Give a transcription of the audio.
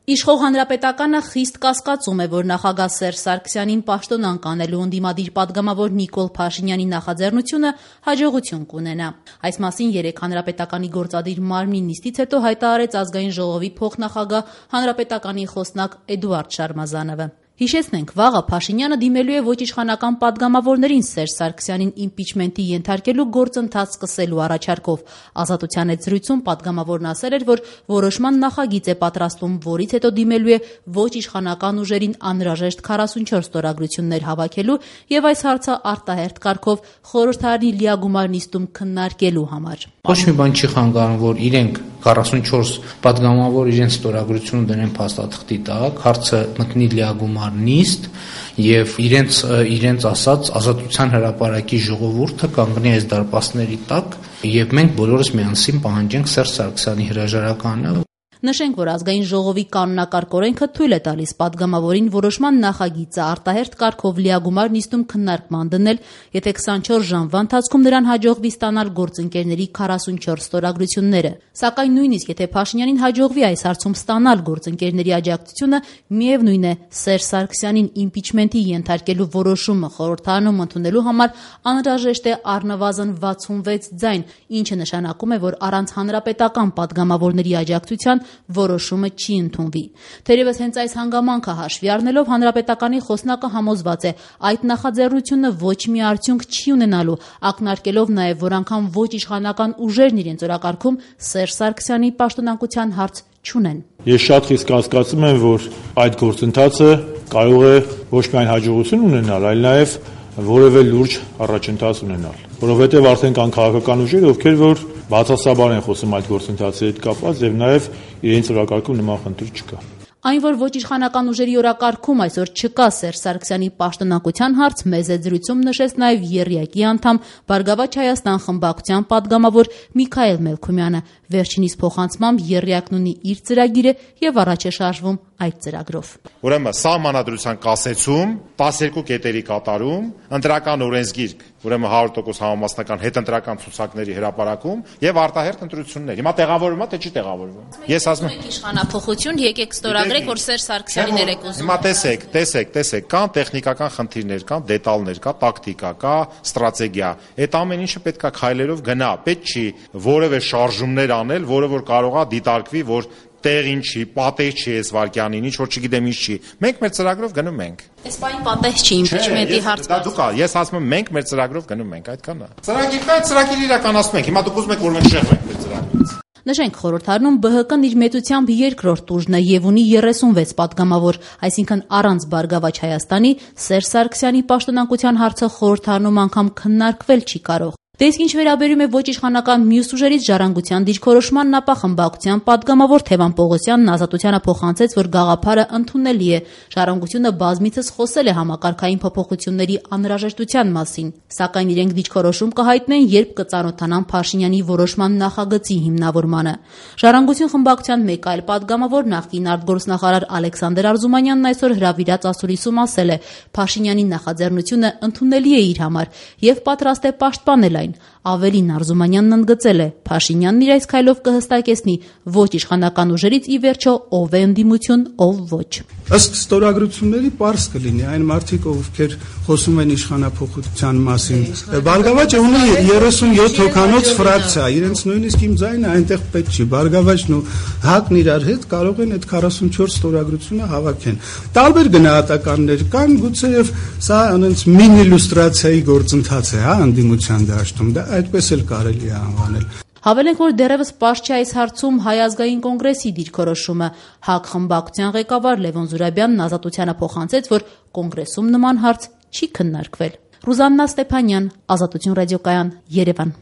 Իշխող Հանրապետականը խիստ կասկածում է, որ նախագահ Սերժ Սարգսյանին պաշտոնանկ անելու ընդդիմադիր պատգամավոր Նիկոլ Փաշինյանի նախաձեռնությունը հաջողություն կունենա։ Այս մասին երեկ Հանրապետականի գործադիր մարմնի նիստից հետո հայտարարեց Ազգային ժողովի փոխնախագահ Հանրապետականի խոսնակ Էդուարդ Շարմազանովը։ Հիշեցնենք, վաղը Փաշինյանը դիմելու է ոչ իշխանական պատգամավորներին Սերժ Սարգսյանին իմպիչմենտի ենթարկելու գործընթաց սկսելու առաջարկով։ Ազատության հետ զրույցում պատգամավորն ասել էր, որ որոշման նախագիծ է պատրաստում, որից հետո դիմելու է ոչ իշխանական ուժերին անհրաժեշտ 44 ստորագրություններ հավաքելու եւ այս հարցը արտահերթ կարգով խորհրդարանի լիագումար նիստում քննարկելու համար։ Ոչ մի բան չի խանգարում, որ իրենք 44 պատգամավոր իրենց ստորագրությունը դնեն փաստաթղթի տակ, հարցը մտնի լիագումար նիստ եւ իրենց ասած Ազատության հրապարակի ժողովուրդը կանգնի այս դարպասների տակ եւ մենք բոլորս միասին պահանջենք Սերժ Սարգսյանի հրաժարականը։ Նշենք, որ Ազգային ժողովի կանոնակարգ օրենքը թույլ է տալիս պատգամավորին որոշման նախագիծը արտահերթ կարգով լիագումար նիստում քննարկման դնել, եթե 24 ժամվա ընթացքում նրան հաջողվի ստանալ գործընկերների 44 ստորագրությունները։ Սակայն նույնիսկ եթե Փաշինյանին հաջողվի այս հարցում ստանալ գործընկերների աջակցությունը, միևնույն է, Սերժ Սարգսյանին իմպիչմենտի ենթարկելու որոշումը խորհրդարանում ընդունելու համար անհրաժեշտ է առնվազն 66 ձայն, ինչը նշանակում է, որ առանց հանրապետական պատգամավորների աջակցության որոշումը չի ընդունվի։ Թերևս հենց այս հանգամանքը հաշվի առնելով Հանրապետականի խոսնակը համոզված է, այդ նախաձեռնությունը ոչ մի արդյունք չի ունենալու, ակնարկելով նաև, որ անգամ ոչ իշխանական ուժերն իրենց օրակարգում Սերժ Սարգսյանի պաշտոնանկության հարց չունեն։ Ես շատ խիստ կասկածում եմ, որ այդ գործընթացը կարող է ոչ միայն հաջողություն ունենալ, այլ նաև որևէ լուրջ առաջընթաց ունենալ, որովհետև արդեն կան քաղաքական ուժեր, ովքեր որ բացասաբար են խոսում այդ գործընթացի հետ կապված եւ նաեւ իրենց օրակարգում նման խնդիր չկա։ Այն, որ ոչ իշխանական ուժերի օրակարգում այսօր չկա Սերժ Սարգսյանի պաշտոնանկության հարց, մեծ զրույցում նշեց նաև ԵՌԵԱԿ-ի անդամ Բարգավաճ Հայաստան խմբակցության պատգամավոր Միքայել Մելքումյանը։ Վերջինիս փոխանցմամբ ԵՌԵԱԿ-ն ունի իր ծրագիրը եւ առաջ է շարժվում այդ ծրագրով։ Ուրեմն սահմանադրության կասեցում, 12 կետերի կատարում, ընտրական օրենսգիրք, ուրեմն 100% համամասնական հետընտրական ցուցակների հրապարակում եւ արտահերթ ընտրություններ։ Հիմա տեղավորվում է, թե չի տեղավորվում։ Ես ասում եմ իշխանափոխություն, եկեք ստորագրեք, որ Սերժ Սարգսյանին եք ուզում։ Հիմա տեսեք, կան տեխնիկական խնդիրներ, կան դետալներ, կա տակտիկա, կա ստրատեգիա։ Այդ ամեն ինչը պետք է քայլերով գնա։ Պետք չի որևէ շարժումներ անել, որը որ կարող է դիտարկվի, որ տեղին չի, պատեհ չի այս վարքյանին, ինչ որ չգիտեմ ինչ չի։ Մենք մեր ծրագրով գնում ենք։ Այս բանի պատեհ չի իմպիչմենտի հարցը։ Դուք ես ասում եմ մենք մեր ծրագրով գնում ենք, այդքան է։ Ծրագիր իրականացնում ենք։ Հիմա դուք ուզում եք որ մենք շեղվենք մեր ծրագրից։ Նշենք, խորհրդարանում ԲՀԿ-ն իր մեծությամբ երկրորդ ուժն է եւ ունի 36 պատգամավոր, այսինքն առանց Բարգավաճ Հայաստանի Սերժ Սարգսյանի պաշտոնանկության հարցը խորհրդարանում անգամ քննարկվել չի կարող։ Դե իսկ ինչ վերաբերում է ոչ իշխանական մյուս ուժերից Ժառանգության դիրքորոշմանն, ապա խմբակցության պատգամավոր Թևան Պողոսյանն Ազատությանը փոխանցեց, որ գաղափարը ընդունելի է։ Ժառանգությունը բազմիցս խոսել է համակարգային փոփոխությունների անհրաժեշտության մասին, սակայն իրենք դիրքորոշում կհայտնեն, երբ կծանոթանան Փաշինյանի որոշման նախագծի հիմնավորմանը։ Ժառանգություն խմբակցության մեկ այլ պատգամավոր նախկին արտգործնախարար Ալեքսանդր Արզումանյանն այսօր հրավիրած ասուլիսում ասել է. Փաշինյանի նախաձեռնությունը ընդունելի է իր համար եւ պատրաստ է պաշտպանել այն։ Ավելին Արզումանյանն ընդգծել է. Փաշինյանն իր այս քայլով կհստակեցնի ոչ իշխանական ուժերից ի վերջո ով է ընդդիմություն, ով ոչ։ Ըստ ստորագրությունների պարզ կլինի այն մարդիկ, ովքեր խոսում են իշխանափոխության մասին։ Բարգավաճը ունի 37 հոգանոց ֆրակցիա, իրենց նույնիսկ իմ ձայնը այնտեղ պետք չի։ Բարգավաճն ու ՀԱԿ-ն իրար հետ կարող են այդ 44 ստորագրությունը հավաքեն։ Տարբեր գնահատականներ կան, գուցեև սա այնց մինի իլյուստրացիայի գործընթաց է, հա, ընդդիմության դաշտում։ Դա այդպես էլ կարելի է անվանել։ Հավելենք, որ դեռևս պարզ չէ այս հարցում Հայ ազգային կոնգրեսի դիրքորոշումը։ ՀԱԿ խմբակցության ղեկավար Լևոն Զուրաբյանն Ազատությանը փոխանցեց, որ կոնգրեսում նման հարց չի քննարկվել։ Ռուզաննա Ստեփանյան, Ազատություն ռադիոկայան, Երևան։